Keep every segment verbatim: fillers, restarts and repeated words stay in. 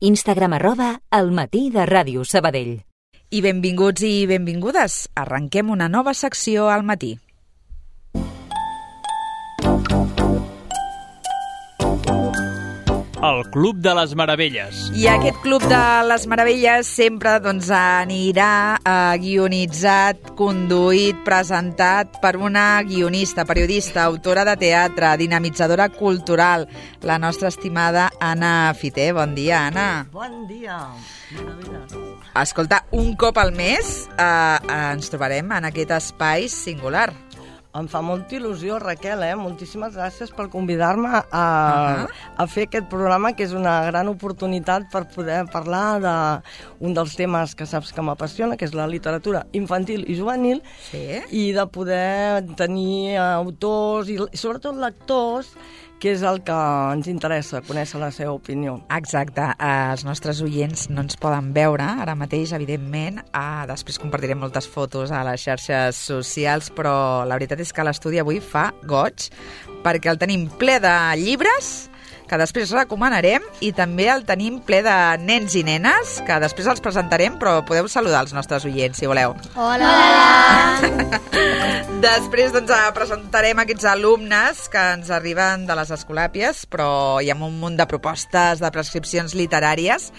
Instagram arroba El Matí de Ràdio Sabadell. I benvinguts i benvingudes. Arrenquem una nova secció al matí. El Club de les Meravelles. I aquest Club de les Meravelles sempre doncs, anirà eh, guionitzat, conduït, presentat per una guionista, periodista, autora de teatre, dinamitzadora cultural, la nostra estimada Anna Fiter. Bon dia, Anna. Bon dia. Meravelles. Escolta, un cop al mes eh, ens trobarem en aquest espai singular. Em fa molta il·lusió, Raquel, eh? Moltíssimes gràcies per convidar-me a, Uh-huh. a fer aquest programa, que és una gran oportunitat per poder parlar d'un dels temes que saps que m'apassiona, que és la literatura infantil i juvenil, Sí. i de poder tenir autors i, i sobretot lectors, que és el que ens interessa, conèixer la seva opinió. Exacte, eh, els nostres oients no ens poden veure ara mateix, evidentment. Ah, després compartirem moltes fotos a les xarxes socials, però la veritat és que l'estudi avui fa goig, perquè el tenim ple de llibres, que després recomanarem, i també el tenim ple de nens i nenes, que després els presentarem, però podeu saludar els nostres oients, si voleu. Hola! Després doncs, presentarem aquests alumnes que ens arriben de les escolàpies, però hi ha un munt de propostes, de prescripcions literàries,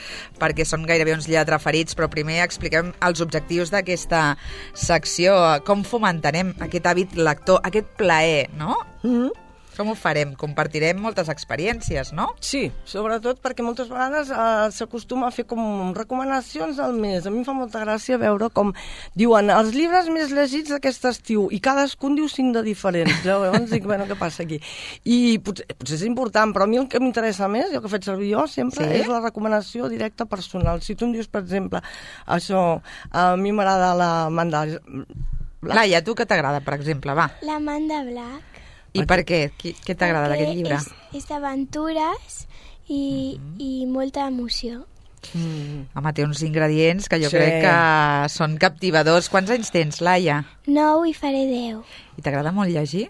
perquè són gairebé uns lletraferits, però primer expliquem els objectius d'aquesta secció, com fomentarem aquest hàbit lector, aquest plaer, no? Mm-hmm. Com ho farem? Compartirem moltes experiències, no? Sí, sobretot perquè moltes vegades eh, s'acostuma a fer com recomanacions al mes. A mi em fa molta gràcia veure com diuen els llibres més llegits d'aquest estiu i cadascun diu cinc de diferents. Llavors dic, bueno, què passa aquí? I potser, potser és important, però a mi el que m'interessa més, i el que faig servir jo sempre, Sí? és la recomanació directa personal. Si tu em dius, per exemple, això, a mi m'agrada la mandala... Laia, tu què t'agrada, per exemple? Va. La Manda Black. I per què? Qui- Què t'agrada d'aquest llibre? És, és d'aventures i, mm. i molta emoció. Mm. Home, té uns ingredients que jo Sí. crec que són captivadors. Quants anys tens, Laia? Nou i faré deu. I t'agrada molt llegir?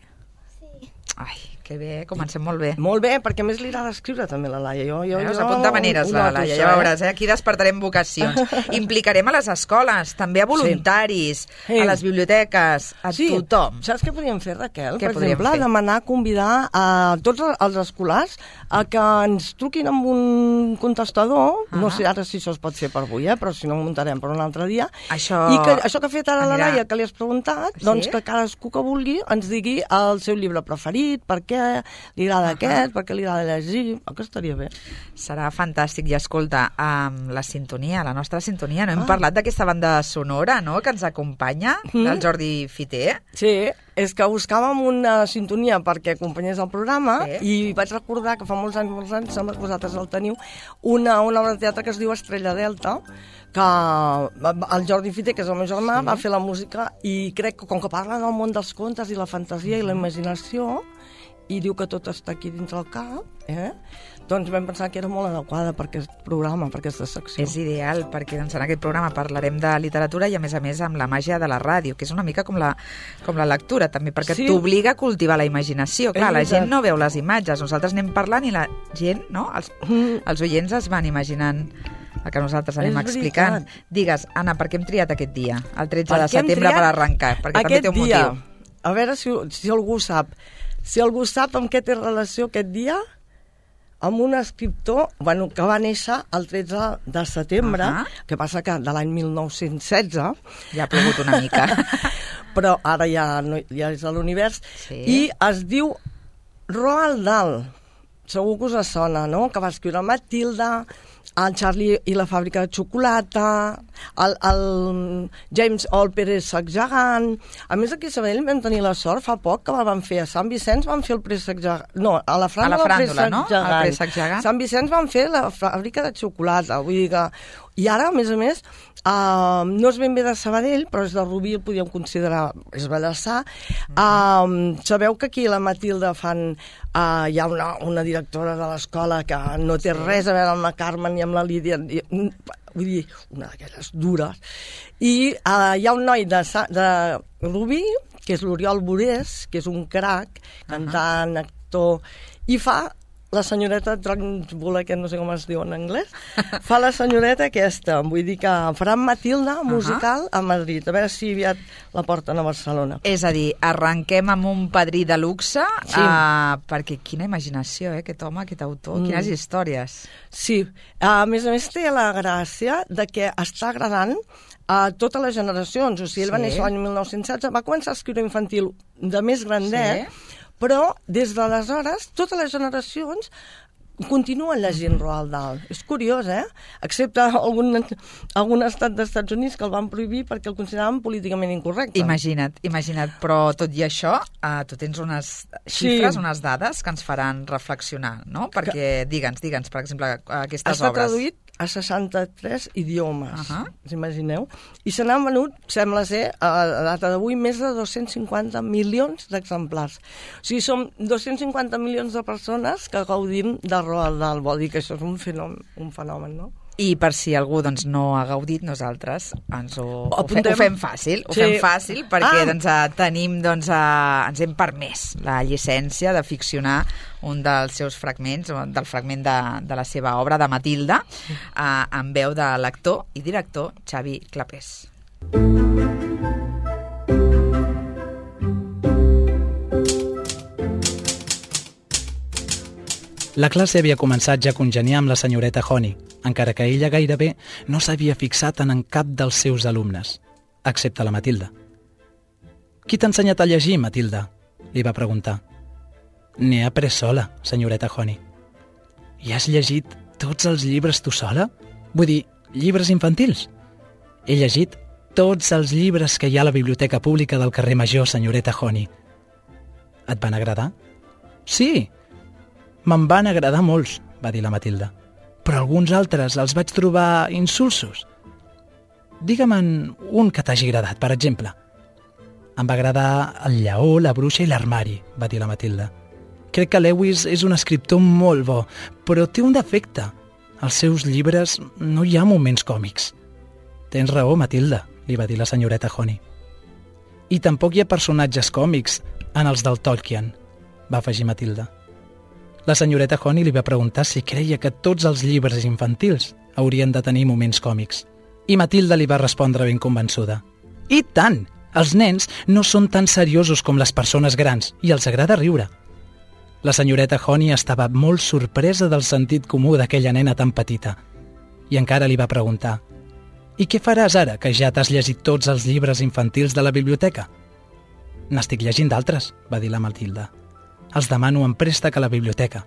Sí. Ai, que bé, comencem molt bé. Molt bé, perquè a més li agrada escriure també la Laia. Jo, jo, Veus, jo apunta maneres, ho la noto, Laia, això, ja veuràs, eh? Aquí despertarem vocacions. Implicarem a les escoles, també a voluntaris, Sí. a les biblioteques, a Sí, tothom. saps què podríem fer, Raquel? Què per podríem exemple, fer? demanar, convidar a tots els escolars a que ens truquin amb un contestador, Ah. no sé ara si això es pot fer per avui, eh? Però si no ho muntarem per un altre dia, Això... i que això que ha fet ara la anirà- Laia, que li has preguntat, Sí? doncs que cadascú que vulgui ens digui el seu llibre preferit, per què li agrada aquest, per què li agrada llegir, oh, que estaria bé. Serà fantàstic. I escolta, amb la sintonia, la nostra sintonia, no hem Ah. parlat d'aquesta banda sonora, no?, que ens acompanya, Mm. del Jordi Fiter. Sí, és que buscàvem una sintonia perquè acompanyés el programa, Sí. i vaig recordar que fa molts anys, molts anys, sembla que vosaltres el teniu, una, una obra de teatre que es diu Estrella Delta, que el Jordi Fiter, que és el meu germà, Sí. va fer la música, i crec que com que parla del món dels contes i la fantasia i la imaginació, i diu que tot està aquí dins el cap, eh? doncs vam pensar que era molt adequada per aquest programa, per aquesta secció. És ideal, perquè doncs, en aquest programa parlarem de literatura i, a més a més, amb la màgia de la ràdio, que és una mica com la, com la lectura, també, perquè Sí. t'obliga a cultivar la imaginació. Clar, És la veritat. gent no veu les imatges, nosaltres anem parlant i la gent, no?, els, Mm. els oients es van imaginant el que nosaltres anem És explicant. veritat. Digues, Anna, per què hem triat aquest dia, el tretze Per de què hem setembre, triat per arrencar? Perquè també aquest té un dia? motiu. A veure si, si algú sap. Si algú sap amb què té relació aquest dia, amb un escriptor, bueno, que va néixer el tretze de setembre, Ahà. que passa que de l'any mil nou-cents setze, Ja ha plogut una mica. però ara ja, no, ja és a l'univers, Sí. i es diu Roald Dahl. Segur que us sona, no?, que va escriure Matilda, el Charlie i la fàbrica de xocolata, el, el James O, el préssec gegant. A més, aquí a Sabadell vam tenir la sort fa poc que van fer a Sant Vicenç, van fer el préssec gegant. No, a la fràndula, A la fràndula, el préssec no? El gegant. préssec gegant. Sant Vicenç van fer la fàbrica de xocolata. Vull dir que... I ara, a més a més, uh, no és ben bé de Sabadell, però és de Rubí, el podíem considerar, és Ballassar. Uh, sabeu que aquí a la Matilda fan... Uh, hi ha una, una directora de l'escola que no té res a veure amb la Carmen ni amb la Lídia, i, vull dir, una d'aquelles dures. I uh, hi ha un noi de, Sa- de Rubí, que és l'Oriol Borés, que és un crac, cantant, actor, i fa la senyoreta Trunchbull, que no sé com es diu en anglès, fa la senyoreta aquesta, vull dir que faran Matilda musical a Madrid, a veure si aviat la porten a Barcelona. És a dir, arrenquem amb un padrí de luxe, Sí. uh, perquè quina imaginació, eh, aquest home, aquest autor, mm. quines històries. Sí, a més a més té la gràcia de que està agradant a totes les generacions. O sigui, ell va Sí. néixer l'any mil nou-cents setze, va començar a escriure infantil de més grandet, Sí. però des d'aleshores totes les generacions continuen llegint Roald Dahl. És curiós, eh? Excepte algun, algun estat dels Estats Units que el van prohibir perquè el consideraven políticament incorrecte. Imagina't, imagina't, però tot i això, uh, tu tens unes xifres, Sí. unes dades que ens faran reflexionar, no? Perquè, digue'ns, digue'ns, per exemple, aquestes Està obres. traduït a seixanta-tres idiomes, Ahà. us imagineu? I se n'han venut, sembla ser, a la data d'avui, més de dos-cents cinquanta milions d'exemplars. O sigui, som dos-cents cinquanta milions de persones que gaudim de Roald Dahl. Vol dir que això és un fenomen, un fenomen, no? I per si algú doncs, no ha gaudit, nosaltres ens ho, ho, fe, apuntem. ho fem fàcil, ho Sí. fem fàcil perquè Ah. doncs, eh, tenim, doncs, eh, ens hem permès la llicència de ficcionar un dels seus fragments, del fragment de, de la seva obra, de Matilda, eh, en veu de l'actor i director Xavi Clapés. La classe havia començat ja a congeniar amb la senyoreta Honey, encara que ella gairebé no s'havia fixat en, en cap dels seus alumnes, excepte la Matilda. «Qui t'ha ensenyat a llegir, Matilda?», li va preguntar. «N'he après sola, senyoreta Honey». «I has llegit tots els llibres tu sola? Vull dir, llibres infantils?» «He llegit tots els llibres que hi ha a la biblioteca pública del carrer Major, senyoreta Honey». «Et van agradar?» «Sí, me'n van agradar molts», va dir la Matilda. «Però alguns altres els vaig trobar insulsos. Digue'm un que t'hagi agradat, per exemple». «Em va agradar el lleó, la bruixa i l'armari», va dir la Matilda. «Crec que Lewis és un escriptor molt bo, però té un defecte. Als seus llibres no hi ha moments còmics». «Tens raó, Matilda», li va dir la senyoreta Honey. «I tampoc hi ha personatges còmics en els del Tolkien», va afegir Matilda. La senyoreta Honey li va preguntar si creia que tots els llibres infantils haurien de tenir moments còmics. I Matilda li va respondre ben convençuda. «I tant! Els nens no són tan seriosos com les persones grans i els agrada riure». La senyoreta Honey estava molt sorpresa del sentit comú d'aquella nena tan petita i encara li va preguntar: «I què faràs ara que ja t'has llegit tots els llibres infantils de la biblioteca?» «N'estic llegint d'altres», va dir la Matilda. «Els demano en préstec a la biblioteca.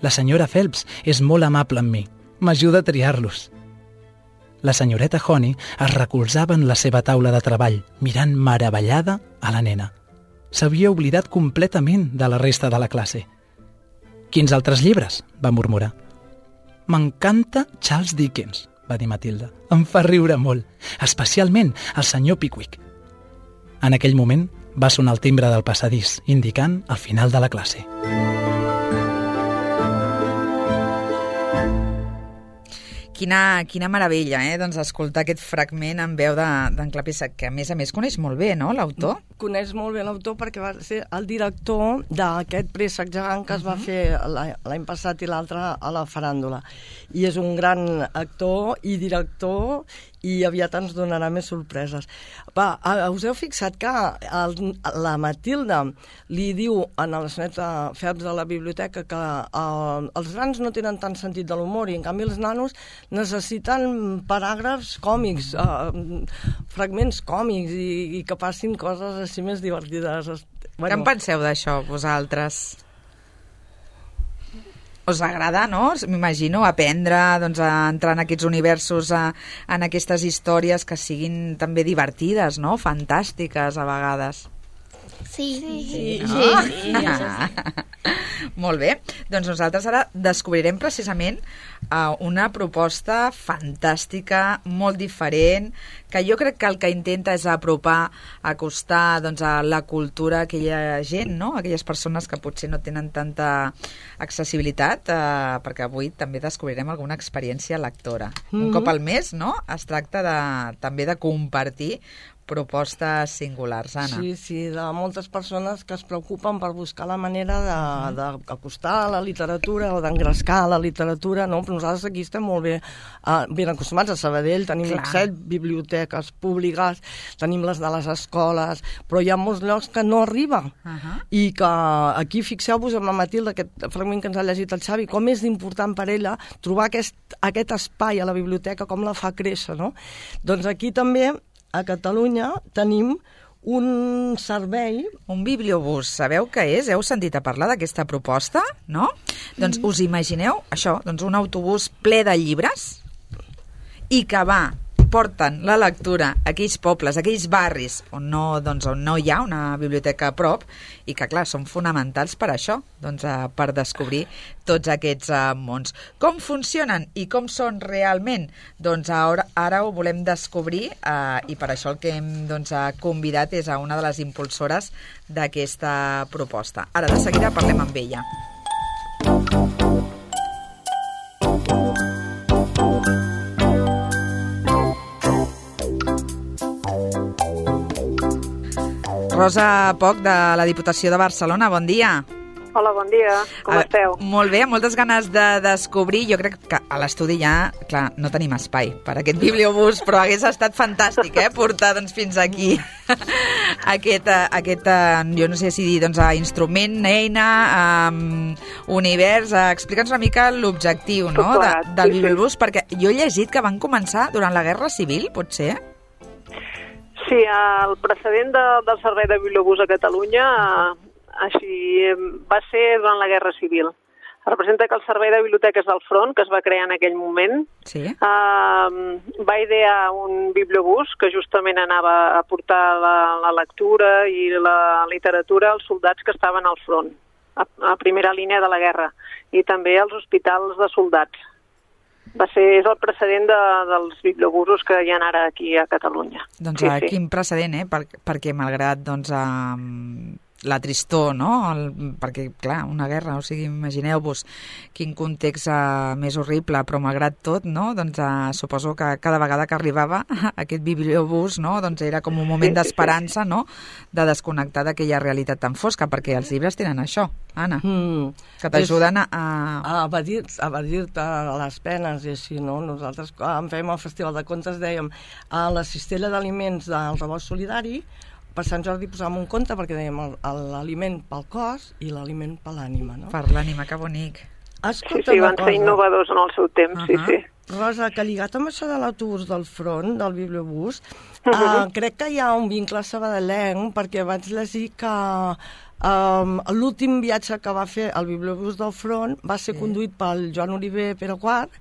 La senyora Phelps és molt amable amb mi. M'ajuda a triar-los». La senyoreta Honey es recolzava en la seva taula de treball, mirant meravellada a la nena. S'havia oblidat completament de la resta de la classe. «Quins altres llibres?», va murmurar. «M'encanta Charles Dickens», va dir Matilda. «Em fa riure molt, especialment el senyor Pickwick». En aquell moment va sonar el timbre del passadís, indicant el final de la classe. Quina, quina meravella, eh? Doncs escoltar aquest fragment en veu d'en Clapés, que a més a més coneix molt bé, no?, l'autor. Coneix molt bé l'autor perquè va ser el director d'aquest préssec gegant que es va fer l'any passat i l'altre a la faràndula. I és un gran actor i director i aviat ens donarà més sorpreses. Va, us heu fixat que el, la Matilda li diu a la senyoreta Phelps de la biblioteca que eh, els grans no tenen tant sentit de l'humor i en canvi els nanos necessiten paràgrafs còmics, eh, fragments còmics i, i que passin coses així més divertides. Bueno, Què en penseu d'això, vosaltres? Us agrada, no? M'imagino aprendre, doncs, a entrar en aquests universos, a, en aquestes històries que siguin també divertides, no? Fantàstiques, a vegades. Sí, sí, sí. No? sí, sí, això sí. Molt bé. Doncs nosaltres ara descobrirem precisament uh, una proposta fantàstica, molt diferent, que jo crec que el que intenta és apropar, acostar doncs, a la cultura a aquella gent, no? Aquelles persones que potser no tenen tanta accessibilitat, uh, perquè avui també descobrirem alguna experiència lectora. Mm-hmm. Un cop al mes, no?, es tracta de, també de compartir propostes singulars, Anna. Sí, sí, de moltes persones que es preocupen per buscar la manera d'acostar la literatura o d'engrescar la literatura, no? Però nosaltres aquí estem molt bé, uh, ben acostumats a Sabadell, tenim Clar. set biblioteques públiques, tenim les de les escoles, però hi ha molts llocs que no arriben. Uh -huh. I que aquí, fixeu-vos amb la Matilda, aquest fragment que ens ha llegit el Xavi, com és important per ella trobar aquest, aquest espai a la biblioteca, com la fa créixer, no? Doncs aquí també, a Catalunya, tenim un servei... Un bibliobús, sabeu què és? Heu sentit a parlar d'aquesta proposta, no? Mm. Doncs us imagineu això, doncs un autobús ple de llibres i que va, porten la lectura a aquells pobles, a aquells barris on no, doncs, on no hi ha una biblioteca a prop i que, clar, són fonamentals per això, doncs, eh, per descobrir tots aquests eh, mons. Com funcionen i com són realment? Doncs ara, ara ho volem descobrir eh, i per això el que hem doncs, convidat és a una de les impulsores d'aquesta proposta. Ara, de seguida, parlem amb ella. Rosa Poch, de la Diputació de Barcelona, bon dia. Hola, bon dia. Com uh, esteu? Molt bé, moltes ganes de descobrir. Jo crec que a l'estudi ja, clar, no tenim espai per aquest bibliobús, però hagués estat fantàstic, eh, portar doncs, fins aquí aquest, aquest, jo no sé si dir, doncs, instrument, eina, um, univers. Uh, Explica'ns una mica l'objectiu, no?, de, del sí, bibliobús, sí. perquè jo he llegit que van començar durant la Guerra Civil, pot ser? Sí, el precedent de, del servei de bibliobús a Catalunya així va ser durant la Guerra Civil. Representa que el servei de biblioteques del front, que es va crear en aquell moment, sí. eh, va idear un bibliobús que justament anava a portar la, la lectura i la literatura als soldats que estaven al front, a, a primera línia de la guerra, i també als hospitals de soldats. Va ser, és el precedent de, dels bibliobusos que hi ha ara aquí a Catalunya. Doncs sí, sí. sí. Quin precedent, eh? Per, perquè malgrat doncs, um, la tristor, no? El, perquè, clar, una guerra, o sigui, imagineu-vos quin context uh, més horrible, però malgrat tot, no? Doncs uh, suposo que cada vegada que arribava aquest bibliobús, no? Doncs era com un moment sí, d'esperança, sí, sí. no? De desconnectar d'aquella realitat tan fosca, perquè els llibres tenen això, Anna, mm, que t'ajuden a... A evadir-te evadir les penes i així, no? Nosaltres, quan fèiem el Festival de Contes, dèiem a la cistella d'aliments del rebost solidari, per Sant Jordi posàvem un conte perquè dèiem l'aliment pel cos i l'aliment per l'ànima, no? Per l'ànima, que bonic. Escolta, sí, sí, van ser innovadors en el seu temps, uh-huh. sí, sí. Rosa, que lligat amb això de l'autobús del front, del bibliobús, uh-huh. uh, crec que hi ha un vincle sabadellenc, perquè vaig llegir que um, l'últim viatge que va fer el bibliobús del front va ser sí. conduït pel Joan Oliver Pere quart,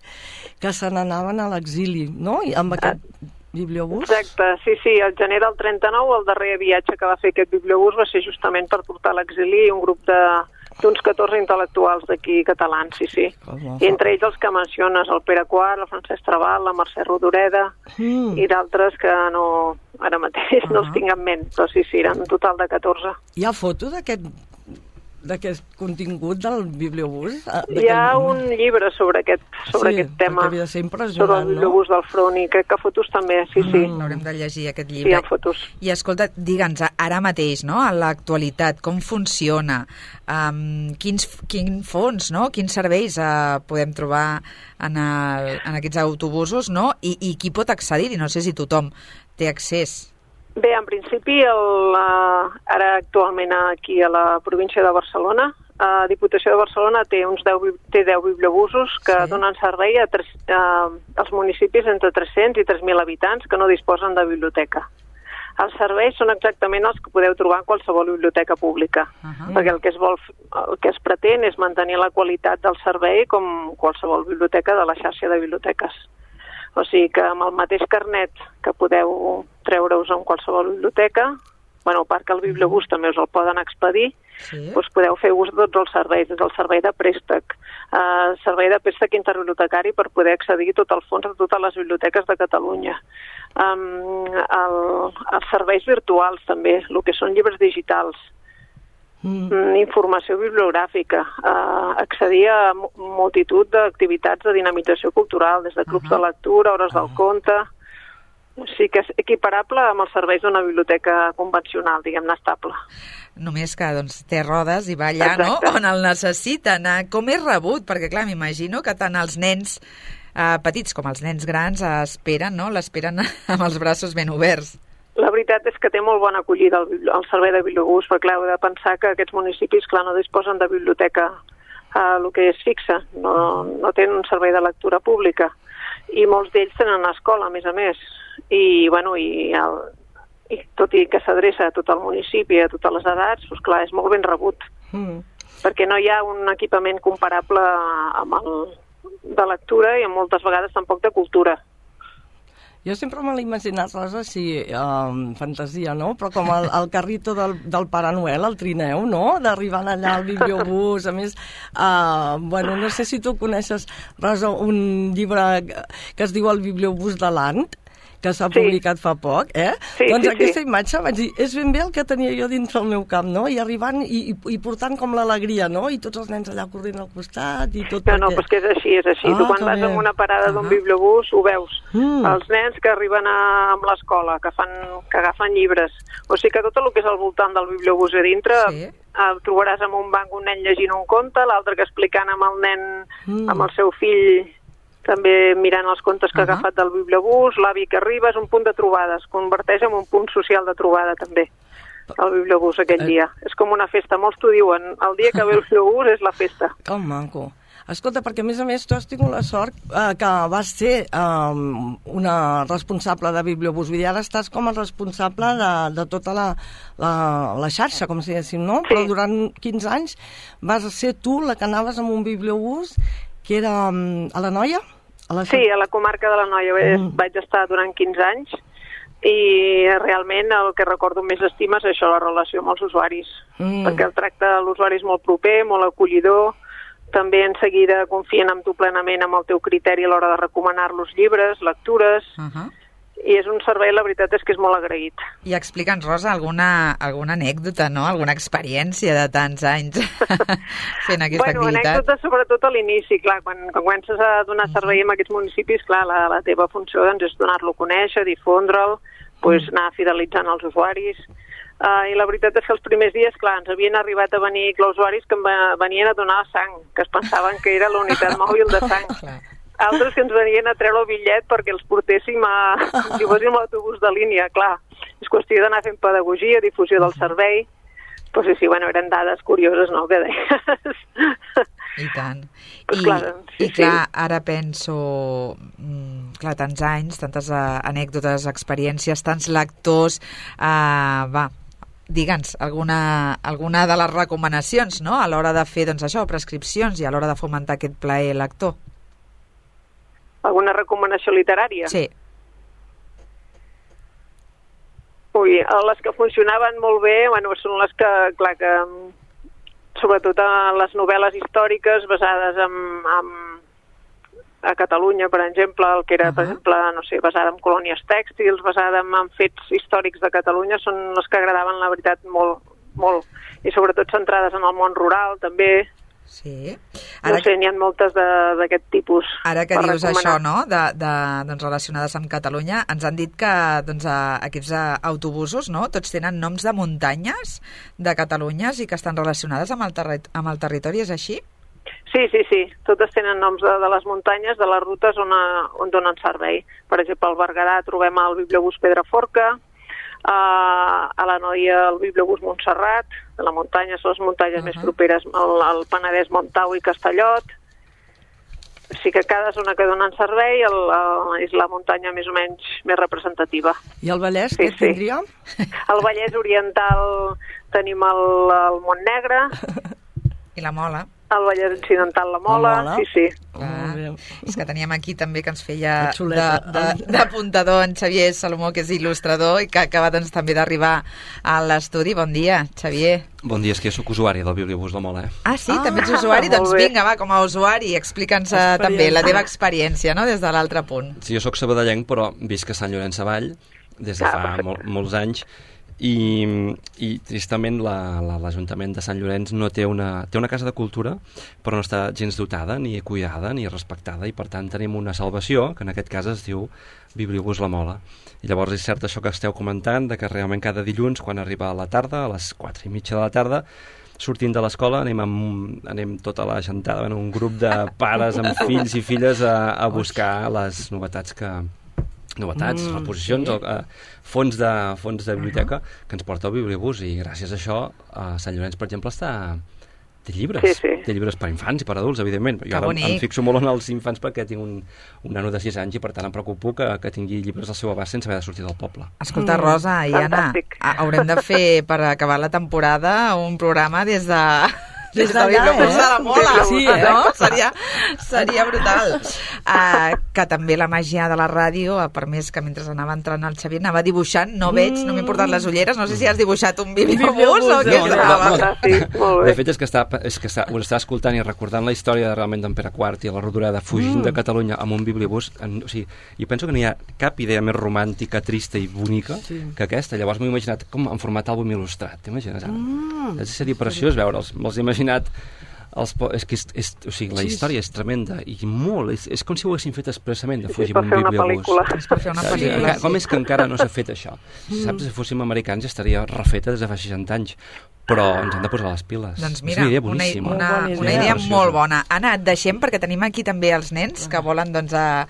que se n'anaven a l'exili, no? I amb aquest... Uh. bibliobús? Exacte, sí, sí, el gener del trenta-nou el darrer viatge que va fer aquest bibliobús va ser justament per portar a l'exili un grup de d'uns catorze intel·lectuals d'aquí catalans, sí, sí. I entre ells els que menciones, el Pere quart, el Francesc Trabal, la Mercè Rodoreda mm. i d'altres que no, ara mateix uh-huh. no els tinc en ment, però sí, sí, eren un total de catorze. Hi ha foto d'aquest d'aquest contingut del bibliobús? Hi ha un llibre sobre aquest, sobre sí, aquest tema, havia de ser impressionant, sobre el bibliobús no? del front, i crec que fotos també, sí, sí. Mm, L'haurem de llegir, aquest llibre. Sí, hi ha fotos. I escolta, digue'ns, ara mateix, no?, a l'actualitat, com funciona, um, quins, quin fons, no?, quins serveis uh, podem trobar en, el, en aquests autobusos, no?, I, i qui pot accedir-hi? No sé si tothom té accés. Bé, en principi, el, uh, ara actualment aquí a la província de Barcelona, la uh, Diputació de Barcelona té uns deu, té deu bibliobusos que sí. donen servei a tres, uh, als municipis entre tres-cents i tres mil habitants que no disposen de biblioteca. Els serveis són exactament els que podeu trobar en qualsevol biblioteca pública, uh-huh. perquè el que, es vol, el que es pretén és mantenir la qualitat del servei com qualsevol biblioteca de la xarxa de biblioteques. O sigui que amb el mateix carnet que podeu treure-us en qualsevol biblioteca, bueno, a part que el bibliobús també us el poden expedir, sí. doncs podeu fer ús de tots els serveis, des del servei de préstec, eh, servei de préstec interbibliotecari per poder accedir a tot el fons de totes les biblioteques de Catalunya. Um, el, els serveis virtuals també, el que són llibres digitals, Mm. informació bibliogràfica, eh, accedir a multitud d'activitats de dinamització cultural, des de clubs uh-huh. de lectura, hores uh-huh. del conte, O sigui que és equiparable amb els serveis d'una biblioteca convencional, diguem-ne, estable. Només que doncs, té rodes i va allà, no?, on el necessiten. Com és rebut? Perquè, clar, m'imagino que tant els nens eh, petits com els nens grans esperen, no?, l'esperen amb els braços ben oberts. La veritat és que té molt bona acollida el, el servei de bibliobús, perquè clar, heu de pensar que aquests municipis, clar, no disposen de biblioteca eh, el que és fixa, no, no tenen un servei de lectura pública, i molts d'ells tenen una escola, a més a més, i, bueno, i, el, i tot i que s'adreça a tot el municipi, a totes les edats, doncs clar, és molt ben rebut, mm. perquè no hi ha un equipament comparable amb el de lectura i moltes vegades tampoc de cultura. Jo sempre me l'he imaginat, Rosa, així, um, fantasia, no? Però com el, el carrito del, del Pare Noel, el trineu, no? D'arribant allà al bibliobús. A més, uh, bueno, no sé si tu coneixes, Rosa, un llibre que es diu El bibliobús de l'Ant, que s'ha sí. publicat fa poc, eh? Sí, doncs sí, aquesta sí. imatge, vaig dir, és ben bé el que tenia jo dins del meu cap, no? I arribant i, i, i portant com l'alegria, no? I tots els nens allà corrent al costat i tot. No, perquè... no, però és que és així, és així. Ah, tu quan vas bé. En una parada d'un uh -huh. bibliobús ho veus. Mm. Els nens que arriben a, amb l'escola, que, fan, que agafen llibres. O sigui que tot el que és al voltant del bibliobús a dintre... Sí. El trobaràs amb un banc un nen llegint un conte, l'altre que explicant amb el nen, mm. amb el seu fill... també mirant els contes que uh -huh. ha agafat del bibliobús, l'avi que arriba, és un punt de trobada, es converteix en un punt social de trobada també, el bibliobús aquell eh. dia. És com una festa, molts t'ho diuen, el dia que ve el bibliobús és la festa. Que maco. Escolta, perquè a més a més tu has tingut la sort eh, que vas ser eh, una responsable de bibliobús, vull dir, ara estàs com a responsable de, de tota la, la, la xarxa, com si diguéssim, no? Sí. Però durant quinze anys vas ser tu la que anaves amb un bibliobús que era um, a l'Anoia? A la... Sí, a la comarca de l'Anoia mm. vaig estar durant quinze anys i realment el que recordo més estima és això, la relació amb els usuaris, mm. perquè el tracte de l'usuari és molt proper, molt acollidor, també en seguida confien en tu plenament amb el teu criteri a l'hora de recomanar-los llibres, lectures, uh -huh. i és un servei, la veritat és que és molt agraït. I explica'ns, Rosa, alguna, alguna anècdota, no? Alguna experiència de tants anys fent aquesta bueno, activitat. Anècdota sobretot a l'inici, clar, quan, quan comences a donar servei en aquests municipis, clar, la, la teva funció doncs, és donar-lo a conèixer, difondre'l, pues, anar fidelitzant els usuaris, uh, i la veritat és que els primers dies, clar, ens havien arribat a venir usuaris que venien a donar sang, que es pensaven que era la unitat mòbil de sang. Altres que ens venien a treure el bitllet perquè els portéssim a, si fóssim l'autobús de línia, clar. És qüestió d'anar fent pedagogia, difusió del servei. Però sí, sí, bueno, eren dades curioses, no?, que deies. I tant. Pues I, clar, sí, i clar, sí. ara penso, mm, clar, tants anys, tantes uh, anècdotes, experiències, tants lectors, uh, va, digue'ns, alguna, alguna de les recomanacions, no?, a l'hora de fer, doncs això, prescripcions i a l'hora de fomentar aquest plaer lector. Alguna recomanació literària? Sí. Ui, les que funcionaven molt bé, bueno, són les que, clar, que sobretot a les novel·les històriques basades en, en a Catalunya, per exemple, el que era, uh-huh. per exemple, no sé, basada en colònies tèxtils, basada en, en fets històrics de Catalunya, són les que agradaven, la veritat, molt, molt. I sobretot centrades en el món rural, també. Sí. Ara no sé, n'hi ha moltes d'aquest tipus. Ara que dius recomanar. Això, no?, de, de, doncs, relacionades amb Catalunya, ens han dit que doncs, a, aquests autobusos, no?, tots tenen noms de muntanyes de Catalunya i que estan relacionades amb el, terri amb el territori, és així? Sí, sí, sí. Totes tenen noms de, de les muntanyes, de les rutes on, a, on donen servei. Per exemple, al Berguedà trobem el bibliobús Pedraforca, a, a l'Anoia el bibliobús Montserrat, de la muntanya, són les muntanyes uh-huh. més properes al, al Penedès, Montau i Castellot. O sigui que cada zona que donen servei el, el, és la muntanya més o menys més representativa. I el Vallès, sí, què sí. tindria? El Vallès Oriental tenim el, el Montnegre. I la Mola. El Vallès Occidental, la Mola, la Mola. sí, sí. Ah, és que teníem aquí també que ens feia d'apuntador en Xavier Salomó, que és il·lustrador i que acaba doncs, també d'arribar a l'estudi. Bon dia, Xavier. Bon dia, és que jo soc usuari del bibliobús de Mola. Eh? Ah, sí? Ah, també ets usuari? Doncs vinga, va, com a usuari, explica'ns també la teva experiència, no?, des de l'altre punt. Sí, jo soc sabadellenc, però visc a Sant Llorenç Savall des de fa mol, molts anys I, i tristament la, la, l'Ajuntament de Sant Llorenç no té una, té una casa de cultura, però no està gens dotada, ni cuidada, ni respectada, i per tant tenim una salvació, que en aquest cas es diu Bibliobús La Mola. I llavors és cert això que esteu comentant, de que realment cada dilluns, quan arriba a la tarda, a les quatre i mitja de la tarda, sortint de l'escola anem, amb, anem tota la gentada, bueno, un grup de pares amb fills i filles a, a buscar les novetats que... novetats, mm, reposicions, sí. o, uh, fons, de, fons de biblioteca uh -huh. que ens porta el Bibliobús, i gràcies a això a Sant Llorenç, per exemple, està... té llibres, sí, sí. té llibres per infants i per adults, evidentment. Jo ara em fixo molt en els infants perquè tinc un, un nano de sis anys i per tant em preocupo que, que tingui llibres al seu abast sense haver de sortir del poble. Escolta, Rosa i Anna, haurem de fer, per acabar la temporada, un programa des de... Des de Bibliobús de la Mola, sí, eh? No? Seria, seria brutal. Uh, que també la màgia de la ràdio ha permès que mentre anava entrant el Xavier anava dibuixant, no veig, no m'he portat les ulleres, no sé si has dibuixat un Bibliobús o què no, no, no, no. De fet és que, està, és que està, us està escoltant i recordant la història de, realment d'en Pere quart i la Rodoreda fugint mm. de Catalunya amb un Bibliobús. En, o sigui, i penso que no hi ha cap idea més romàntica, trista i bonica sí. que aquesta. Llavors m'he imaginat com en format àlbum il·lustrat, t'imagines ara? Mm. És a dir, preciós veure'ls, me'ls he imaginat. Els po- és que és, és, o sigui, la història és tremenda i molt, és, és com si ho haguessin fet expressament de fugir amb un Bibliobús. És per fer una pel·lícula. Com és que encara no s'ha fet això? Saps, si fóssim americans ja estaria refeta des de fa seixanta anys, però ens han de posar les piles. Doncs mira, és una idea una, boníssima. una, una, una idea molt bona. Anna, et deixem perquè tenim aquí també els nens que volen doncs, a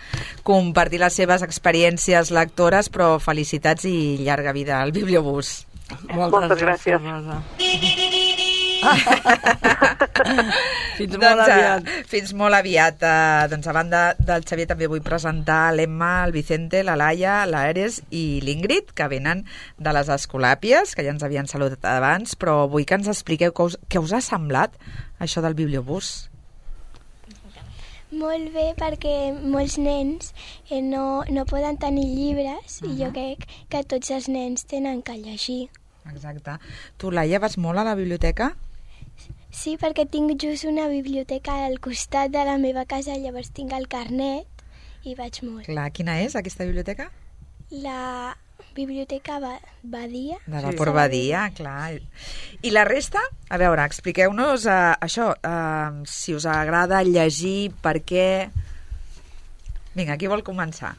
compartir les seves experiències lectores, però felicitats i llarga vida al Bibliobús. Moltes, Moltes gràcies. gràcies. Fins doncs, molt aviat. Fins molt aviat. Uh, doncs a banda del Xavier també vull presentar l'Emma, el Vicente, la Laia, l'Ares i l'Ingrid, que venen de les Escolàpies, que ja ens havien saludat abans, però vull que ens expliqueu què us, què us ha semblat això del Bibliobús. Molt bé, perquè molts nens eh, no, no poden tenir llibres uh -huh. i jo crec que tots els nens tenen que llegir. Exacte. Tu, Laia, vas molt a la biblioteca? Sí, perquè tinc just una biblioteca al costat de la meva casa, llavors tinc el carnet i vaig molt. Clar, quina és aquesta biblioteca? La biblioteca ba Badia. De Vapor sí. Badia, clar. I la resta? A veure, expliqueu-nos uh, això, uh, si us agrada llegir, per què... Vinga, qui vol començar?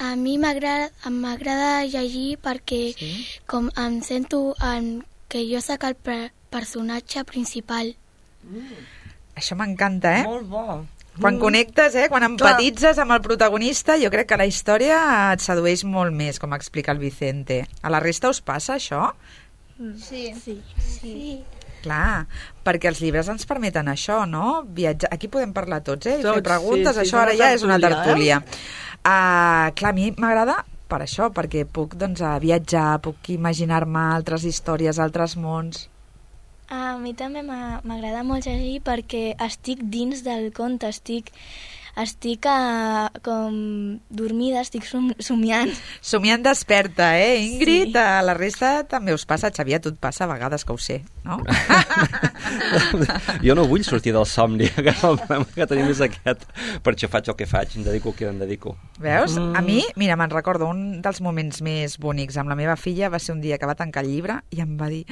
A mi m'agrada llegir perquè sí? com em sento en, que jo sóc el per personatge principal. Mm. Això m'encanta, eh? Molt bo. Quan mm. connectes, eh? Quan empatitzes amb el protagonista, jo crec que la història et sedueix molt més, com explica el Vicente. A la resta us passa això? Sí. Sí. sí. Clar, perquè els llibres ens permeten això, no? Viatjar. Aquí podem parlar tots, eh? I tots, fer preguntes, sí, sí, això ara ja és una tertúlia. Eh? Uh, clar, a mi m'agrada per això, perquè puc doncs, viatjar, puc imaginar-me altres històries, altres mons. A mi també m'agrada molt llegir perquè estic dins del conte, estic, estic uh, com dormida, estic som somiant. Somiant desperta, eh, Ingrid? Sí. A la resta també us passa, Xavier, a tu et passa a vegades que ho sé, no? Jo no vull sortir del somni, que el problema que tenim és aquest. Per això faig el que faig, em dedico que em dedico. Veus? Mm. A mi, mira, me'n recordo, un dels moments més bonics amb la meva filla va ser un dia que va tancar el llibre i em va dir,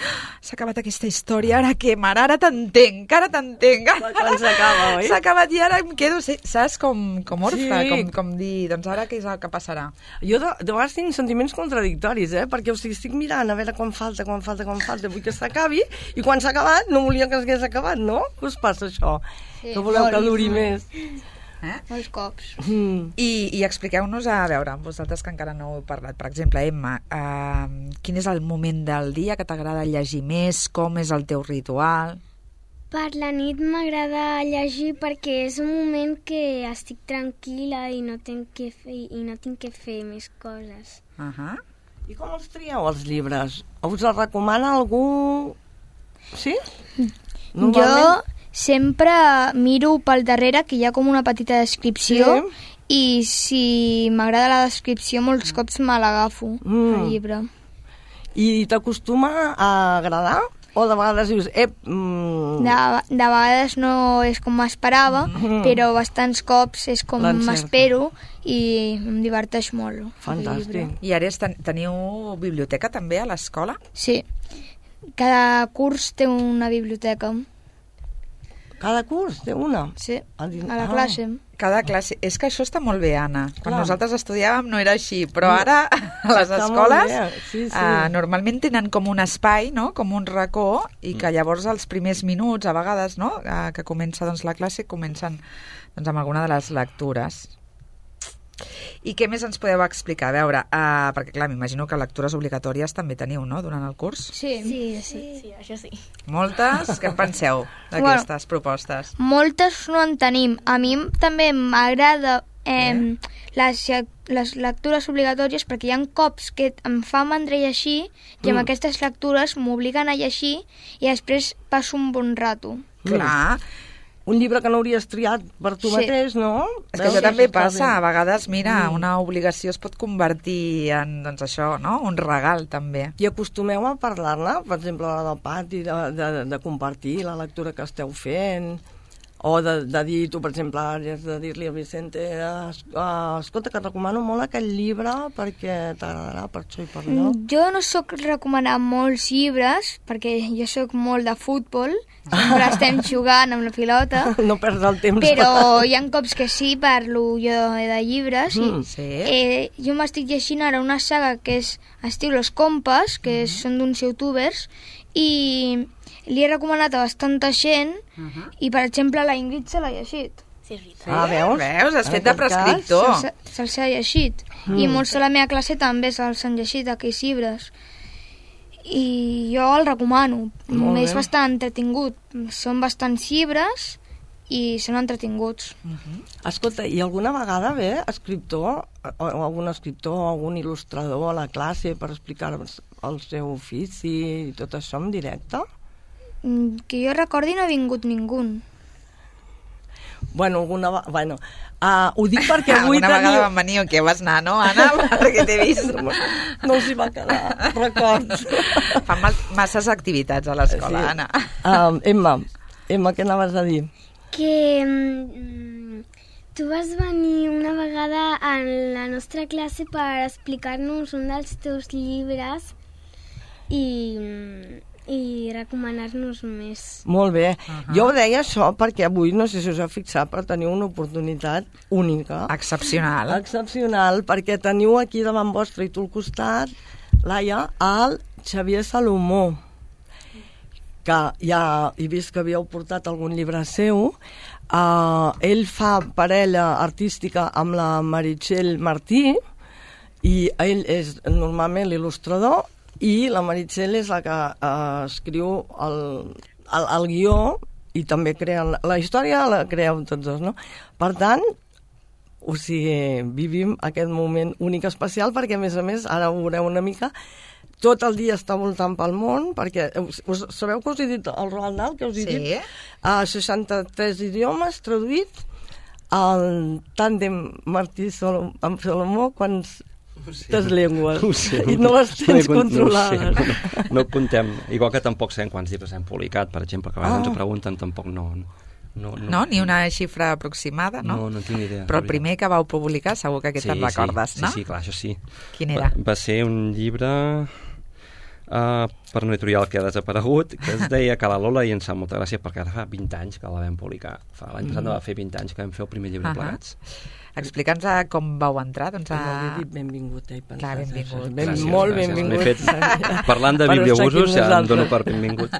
s'ha acabat aquesta història, ara què, mare? Ara t'entenc, ara t'entenc. Quan s'acaba, oi? S'ha acabat i ara em quedo, saps, com, com orfe, Sí. com, com dir, doncs ara què és el que passarà? Jo de, de vegades tinc sentiments contradictoris, eh? Perquè o sigui, estic mirant a veure quan falta, quan falta, quan falta, vull que s'acabi, i quan s'ha acabat no volia que s'hagués acabat, no? Què us passa això? Sí, no voleu que duri més? Eh? Molts cops. Mm. I, i expliqueu-nos, a veure, vosaltres que encara no heu parlat, per exemple, Emma, eh, quin és el moment del dia que t'agrada llegir més, com és el teu ritual? Per la nit m'agrada llegir perquè és un moment que estic tranquil·la i no tinc que fer, i no tinc que fer més coses. Uh -huh. I com els trieu, els llibres? Us els recomana algú? Sí? Jo sempre miro pel darrere, que hi ha com una petita descripció, Sí. i si m'agrada la descripció molts cops me l'agafo, Mm. el llibre. I t'acostuma a agradar O de vegades dius, ep... Mm... De, de vegades no és com m'esperava, Mm. però bastants cops és com L'encerta. m'espero i em diverteix molt. Fantàstic. I ara ten teniu biblioteca també a l'escola? Sí. Cada curs té una biblioteca. Cada curs té una? Sí, a, a la classe. Cada classe. És que això està molt bé, Anna. Quan Clar. nosaltres estudiàvem no era així, però ara a les Està molt escoles bé, sí, sí. eh, normalment tenen com un espai, no? Com un racó, i que llavors els primers minuts, a vegades, no? eh, que comença doncs, la classe, comencen doncs, amb alguna de les lectures. I què més ens podeu explicar? A veure, uh, perquè clar, m'imagino que lectures obligatòries també teniu, no?, durant el curs. Sí. Sí, sí, sí, això sí. Moltes? Què en penseu d'aquestes bueno, propostes? Moltes no en tenim. A mi també m'agrada eh, les, les lectures obligatòries perquè hi ha cops que em fa mandra llegir i amb Mm. aquestes lectures m'obliguen a llegir i després passo un bon rato. Clar. Un llibre que no hauries triat per tu Sí. mateix, no? És que Veus? això també Està passa, bé. a vegades, mira, Mm. una obligació es pot convertir en, doncs això, no?, un regal, també. I acostumeu a parlar-ne, per exemple, a l'hora del pati, de, de, de compartir la lectura que esteu fent, o de, de dir, tu, per exemple, has de dir-li a Vicente, es, uh, escolta, que et recomano molt aquest llibre perquè t'agradarà per això i per allò. Mm, Jo no sóc recomanar molts llibres perquè jo sóc molt de futbol, sempre estem jugant amb la pilota, No perds el temps. però hi ha cops que sí parlo jo de llibres i Mm. Sí? eh, jo m'estic llegint ara una saga que és, es diu Los Compas, que és, són d'uns youtubers i li he recomanat a bastanta gent i per exemple la Ingrid se l'ha llegit. Sí, és veritat. Ah, veus? Veus? Has En fet de aquest cas, prescriptor. Se'ls se'ls ha llegit i molts de la meva classe també se'ls han llegit aquells llibres i jo el recomano. Molt És bé. bastant entretingut, són bastants llibres i són entretinguts. Escolta, i alguna vegada ve escriptor, o o algun escriptor o algun il·lustrador a la classe per explicar el seu ofici i tot això en directe? Mm, Que jo recordi no ha vingut ningú. Bueno, alguna vegada... Bueno, uh, ho dic perquè avui Alguna vegada teniu... van venir o què vas anar, no, Anna? Perquè t'he vist. No, no els hi va quedar records. Fan mal, masses activitats a l'escola, Sí. Anna. Uh, Emma, Emma, què anaves a dir? Que mm, tu vas venir una vegada a la nostra classe per explicar-nos un dels teus llibres i, i recomanar-nos més. Molt bé. Uh -huh. Jo ho deia això perquè avui, no sé si us heu fixat, però teniu una oportunitat única. Excepcional. Excepcional, perquè teniu aquí davant vostre i tu al costat, Laia, el Xavier Salomó, que ja he vist que havíeu portat algun llibre seu. Uh, ell fa parella artística amb la Meritxell Martí i ell és normalment l'il·lustrador i la Meritxell és la que uh, escriu el, el, el guió i també crea la, la història, la creeu tots dos, no? Per tant, o sigui, vivim aquest moment únic especial perquè, a més a més, ara ho veureu una mica, tot el dia està voltant pel món, perquè us, us, sabeu que us he dit el Roald Dahl, que us he Sí. dit a seixanta-tres idiomes traduït, el tàndem Martí Solom, amb Salomó, quants tes llengües Ho sé, i no les tens no, controlades. No, sé, no, no comptem, igual que tampoc sabem quants llibres hem publicat, per exemple, que a vegades Ah. ens ho pregunten, tampoc no... No, No? Ni una xifra aproximada, no? No, no tinc ni idea. Però el primer que vau publicar segur que aquest te'n recordes, sí, no? Sí, sí, clar, això sí. Quin era? Va, va ser un llibre uh, per una editorial que ha desaparegut, que es deia Que la Lola, i ens fa molta gràcia perquè ara fa vint anys que la vam publicar. Fa L'any passat no va fer vint anys que vam fer el primer llibre Ahà. plegats. Explica'ns a com vau entrar, doncs, No a... li he dit benvingut, eh? Clar, benvingut. Ben, Gràcies, molt gràcies. benvingut. M'he fet, parlant de Per estar aquí bibliobusos, amb ja em nosaltres. dono per benvingut.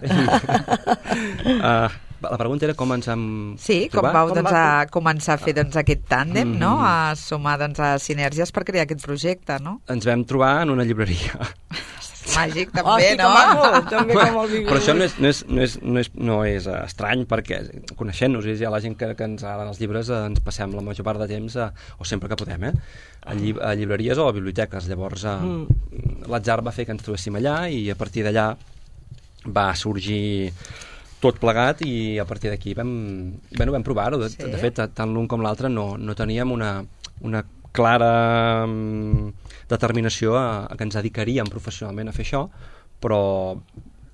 uh, la pregunta era com ens hem Sí, com trobat. vau Com doncs, va- a començar a fer doncs, aquest tàndem, Mm. no? A sumar doncs, a sinergies per crear aquest projecte, no? Ens vam trobar en una llibreria. Màgic, Oh, també, sí, que no? maco, també com el Vigor. Però això no és, no és, no és, no és, no és uh, estrany, perquè coneixent-nos, hi ha la gent que, que ens agraden els llibres, uh, ens passem la major part de temps, uh, o sempre que podem, eh? a, lli a llibreries o a biblioteques. Llavors, uh, mm. l'atzar va fer que ens trobéssim allà i a partir d'allà va sorgir tot plegat i a partir d'aquí vam, bueno, vam provar-ho. De, Sí. de fet, tant l'un com l'altre no, no teníem una, una clara um, determinació a, a que ens dedicaríem professionalment a fer això, però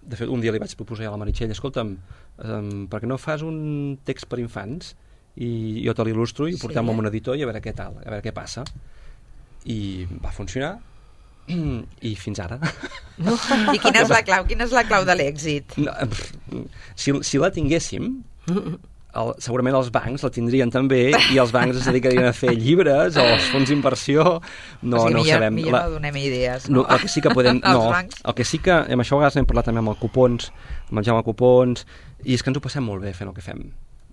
de fet, un dia li vaig proposar a la Meritxell, escolta'm, um, per què no fas un text per infants i jo te l'il·lustro i portem-ho sí. amb un editor i a veure què tal, a veure què passa. I va funcionar i fins ara. No. I quina és la clau? Quina és la clau de l'èxit? No, si, si la tinguéssim, el, segurament els bancs la tindrien també i els bancs es dedicarien a fer llibres o els fons d'inversió. No, o sigui, no millor, ho sabem. Millor la, no donem idees. No? No, el que sí que podem... no, el que sí que... Amb això a vegades n'hem parlat també amb el Cupons, amb el Jaume Cupons, i és que ens ho passem molt bé fent el que fem.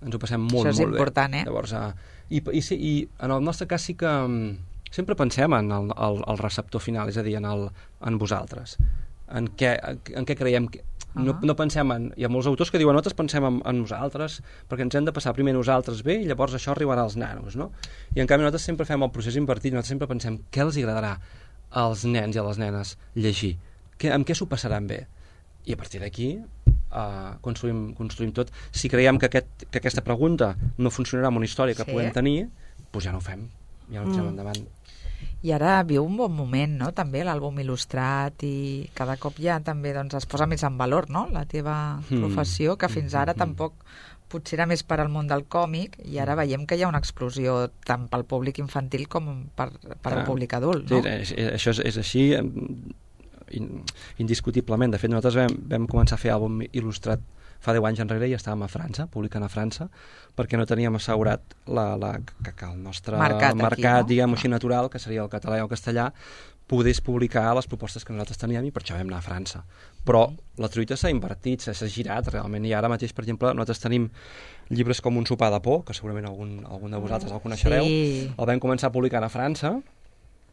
Ens ho passem molt, això és molt important, bé. Eh? Llavors, uh, i, i, sí, i en el nostre cas sí que... Sempre pensem en el, el, el receptor final, és a dir, en, el, en vosaltres. En què, en què creiem... Que, no, uh -huh. no pensem en... Hi ha molts autors que diuen nosaltres pensem en, en nosaltres perquè ens hem de passar primer nosaltres bé i llavors això arribarà als nanos, no? I en canvi nosaltres sempre fem el procés invertit, nosaltres sempre pensem què els agradarà als nens i a les nenes llegir, que, amb què s'ho passaran bé. I a partir d'aquí uh, construïm, construïm tot. Si creiem que, aquest, que aquesta pregunta no funcionarà amb una història que sí. puguem tenir, doncs ja no ho fem, ja no ho tirem mm. endavant. I ara viu un bon moment, no?, també, l'àlbum il·lustrat, i cada cop ja també doncs, es posa més en valor, no?, la teva mm. professió, que fins ara mm. tampoc potser era més per al món del còmic, i ara veiem que hi ha una explosió tant pel públic infantil com per, per ah, al públic adult, no? Sí, és, això és, és així, indiscutiblement. De fet, nosaltres vam, vam començar a fer àlbum il·lustrat fa deu anys enrere i estàvem a França, publicant a França, perquè no teníem assegurat la, la, que, que el nostre mercat, mercat aquí, no? diguem així, natural, que seria el català i el castellà, podés publicar les propostes que nosaltres teníem, i per això vam anar a França. Però la truita s'ha invertit, s'ha girat realment, i ara mateix, per exemple, nosaltres tenim llibres com Un sopar de por, que segurament algun, algun de vosaltres el coneixereu, sí. El vam començar publicant a França,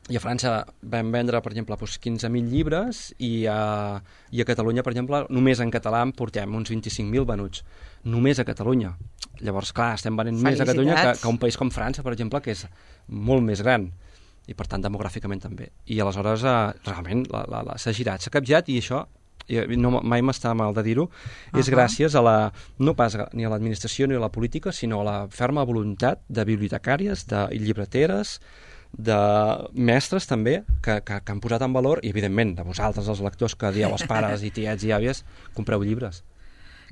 i a França vam vendre, per exemple, doncs quinze mil llibres, i a, i a Catalunya, per exemple, només en català en portem uns vint-i-cinc mil venuts. Només a Catalunya. Llavors, clar, estem venent més a Catalunya que, que un país com França, per exemple, que és molt més gran, i per tant demogràficament també. I aleshores, eh, realment, la, la, la, s'ha girat, s'ha capgirat, i això, i no, mai m'està mal de dir-ho, uh-huh. és gràcies a la, no pas ni a l'administració ni a la política, sinó a la ferma voluntat de bibliotecàries, de llibreteres, de mestres també, que, que, que han posat en valor, i evidentment de vosaltres, els lectors, que dieu als pares i tiets i àvies, compreu llibres.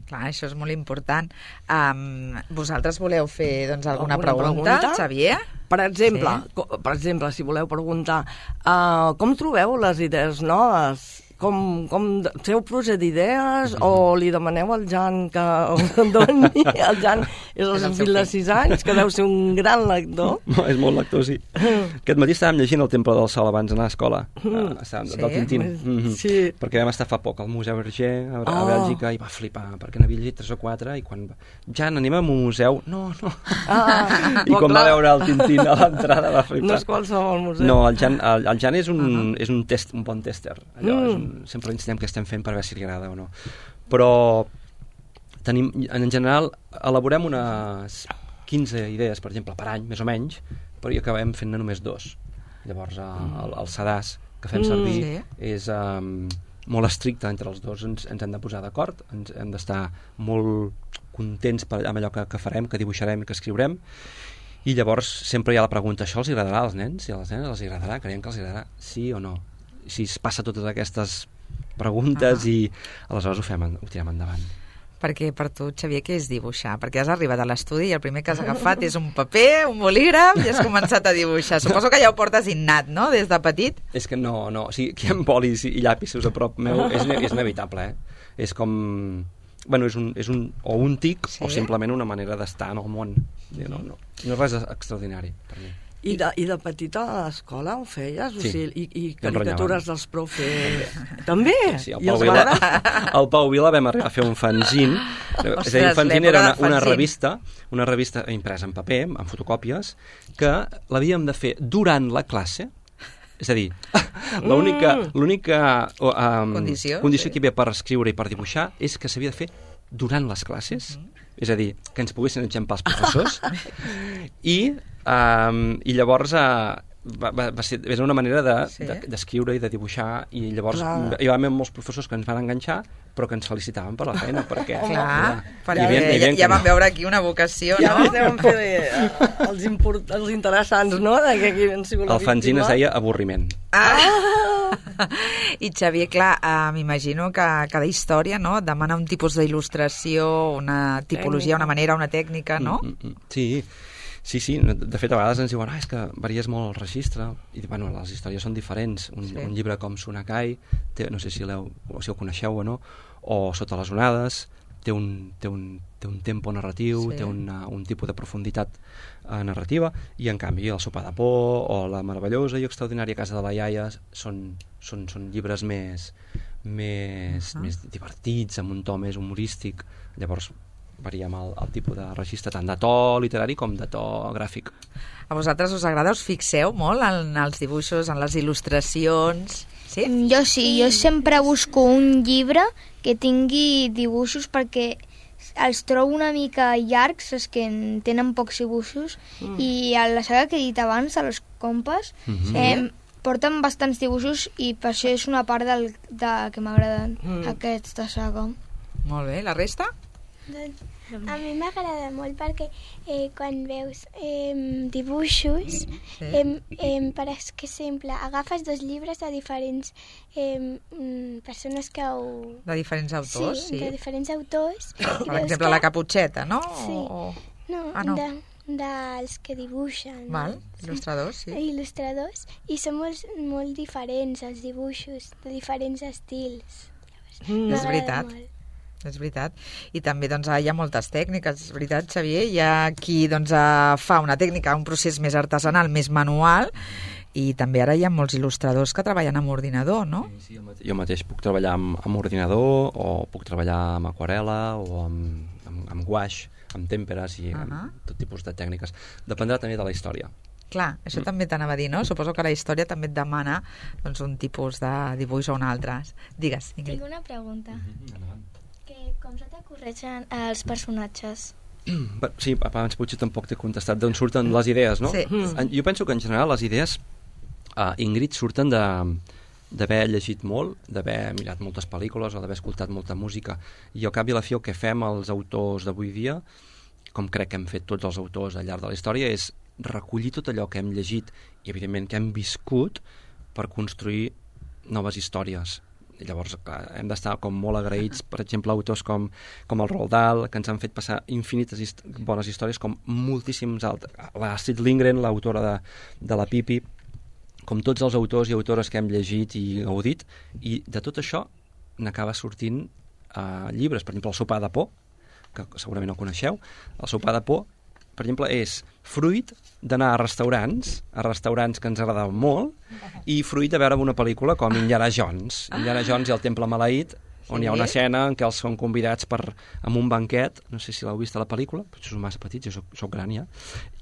Clar, això és molt important. Um, vosaltres voleu fer doncs, alguna, alguna pregunta, pregunta, Xavier? Per exemple, sí. per exemple, si voleu preguntar, uh, com trobeu les idees noves? Com, com feu pluja d'idees o li demaneu al Jan que em doni? El Jan és el seu fill de sis anys, que deu ser un gran lector. No, és molt lector, sí. Aquest matí estàvem llegint El Temple del Sol abans d'anar a l'escola, mm. sí? del Tintín, mm-hmm. sí. perquè vam estar fa poc al Museu Berger a, a oh. Bèlgica, i va flipar, perquè n'havia llegit tres o quatre, i quan... Jan, anem a un museu? No, no. Ah, I quan clar. va veure el Tintín a l'entrada va flipar. No és qualsevol museu. No, el Jan, el, el Jan és, un, uh-huh. és un, test, un bon tester. Allò, mm. és un, sempre ensenyem què estem fent per veure si li agrada o no, però tenim, en general elaborem unes quinze idees, per exemple, per any, més o menys, però hi acabem fent-ne només dos. Llavors el, el sedàs que fem servir mm, sí. és um, molt estricte entre els dos, ens, ens hem de posar d'acord, ens hem d'estar molt contents per, amb allò que, que farem, que dibuixarem i que escriurem, i llavors sempre hi ha la pregunta, això els agradarà als nens i a les nenes els agradarà? Creiem que els agradarà sí o no? Si es passa totes aquestes preguntes ah. i aleshores ho fem, ho tirem endavant. Perquè per tu, Xavier, què és dibuixar? Perquè has arribat a l'estudi i el primer que has agafat és un paper, un bolígraf, i has començat a dibuixar. Suposo que ja ho portes innat, no?, des de petit. És que no, no, o sigui, aquí amb bolis i llapisos a prop meu és, és inevitable, eh? És com... Bueno, és un, és un, o un tic sí? o simplement una manera d'estar en el món. No, no, no és res extraordinari per mi. I de, I de petita a l'escola ho feies? Sí. O sigui, i, i caricatures dels profes... També? Sí, el Pau, Vila, el Pau Vila vam arribar a fer un fanzine. Ostres, és a dir, un fanzine era una, una revista, una revista impresa en paper, en fotocòpies, que l'havíem de fer durant la classe. És a dir, l'única um, condició, condició sí. que hi havia per escriure i per dibuixar és que s'havia de fer durant les classes. Mm-hmm. És a dir, que ens poguessin enxampar els professors. I, um, i llavors uh, va, va, va ser una manera d'escriure de, de, i de dibuixar, i llavors clar. Hi va haver molts professors que ens van enganxar, però que ens felicitaven per la feina, perquè... Clar, clar, perquè ja, ja, ja vam veure aquí una vocació, ja no? Ja vam fer els, import, els interessants, no? De que aquí el fanzine es deia Avorriment. Ah! I Xavier, clar, uh, m'imagino que cada història, no?, demana un tipus d'il·lustració, una tipologia, una manera, una tècnica, no? Mm, mm, sí, sí, sí. De fet, a vegades ens diuen ah, és que varies molt el registre. I, bueno, les històries són diferents. Un, sí. un llibre com Sonakai, té, no sé si, o si el coneixeu o no, o Sota les onades, té un, té un, té un tempo narratiu, sí. té una, un tipus de profunditat eh, narrativa, i en canvi el Sopar de por o la meravellosa i extraordinària Casa de la iaia són, són, són llibres més, més, uh -huh. més divertits, amb un to més humorístic. Llavors variem el, el tipus de registre tant de to literari com de to gràfic. A vosaltres us agrada? Us fixeu molt en els dibuixos, en les il·lustracions? Sí? Jo sí, jo sempre busco un llibre que tingui dibuixos perquè els trobo una mica llargs, els que tenen pocs dibuixos, mm. i a la saga que he dit abans, a los compas, mm-hmm. eh, porten bastants dibuixos i per això és una part del, de, que m'agraden mm. aquesta saga. Molt bé, la resta? Doncs a mi m'agrada molt perquè eh, quan veus eh, dibuixos, sí. eh, eh, per exemple, agafes dos llibres de diferents eh, persones que ho... De diferents autors, sí. Sí, de diferents autors. Per exemple, que... la Caputxeta, no? Sí. O... No, ah, no. De, dels que dibuixen. Val, il·lustradors, sí. Il·lustradors, i són molt, molt diferents els dibuixos, de diferents estils. Mm, és veritat. Molt. És veritat. I també doncs, hi ha moltes tècniques, és veritat, Xavier. Hi ha qui doncs, fa una tècnica, un procés més artesanal, més manual, i també ara hi ha molts il·lustradors que treballen amb ordinador, no? Sí, sí, jo mateix puc treballar amb, amb ordinador, o puc treballar amb aquarela, o amb, amb, amb guaix, amb tèmperes, i uh -huh. amb tot tipus de tècniques. Dependrà també de la història. Clar, això mm. també t'anava a dir, no? Suposo que la història també et demana doncs, un tipus de dibuix o un altre. Digues, Ingrid. Tinc una pregunta. Mm-hmm. Que com se t'acorreixen els personatges? Sí, abans potser tampoc t'he contestat d'on surten les idees, no? Sí. Jo penso que en general les idees, uh, Ingrid, surten d'haver llegit molt, d'haver mirat moltes pel·lícules o d'haver escoltat molta música, i al cap i a la fi el que fem els autors d'avui dia, com crec que hem fet tots els autors al llarg de la història, és recollir tot allò que hem llegit i evidentment que hem viscut per construir noves històries. Llavors, clar, hem d'estar com molt agraïts, per exemple, autors com, com el Roald Dahl, que ens han fet passar infinites hist bones històries, com moltíssims altres. L'Astrid Lindgren, l'autora de, de la Pipi, com tots els autors i autores que hem llegit i gaudit, i de tot això n'acaba sortint uh, llibres. Per exemple, el Sopar de por, que segurament no coneixeu. El Sopar de por, per exemple, és fruit d'anar a restaurants, a restaurants que ens agradaven molt, i fruit de veure una pel·lícula com Indiana Jones. Indiana Jones i el Temple Maleït, on hi ha una escena en què els són convidats per, amb un banquet, no sé si l'heu vist a la pel·lícula, potser són massa petits, jo soc, soc gran ja,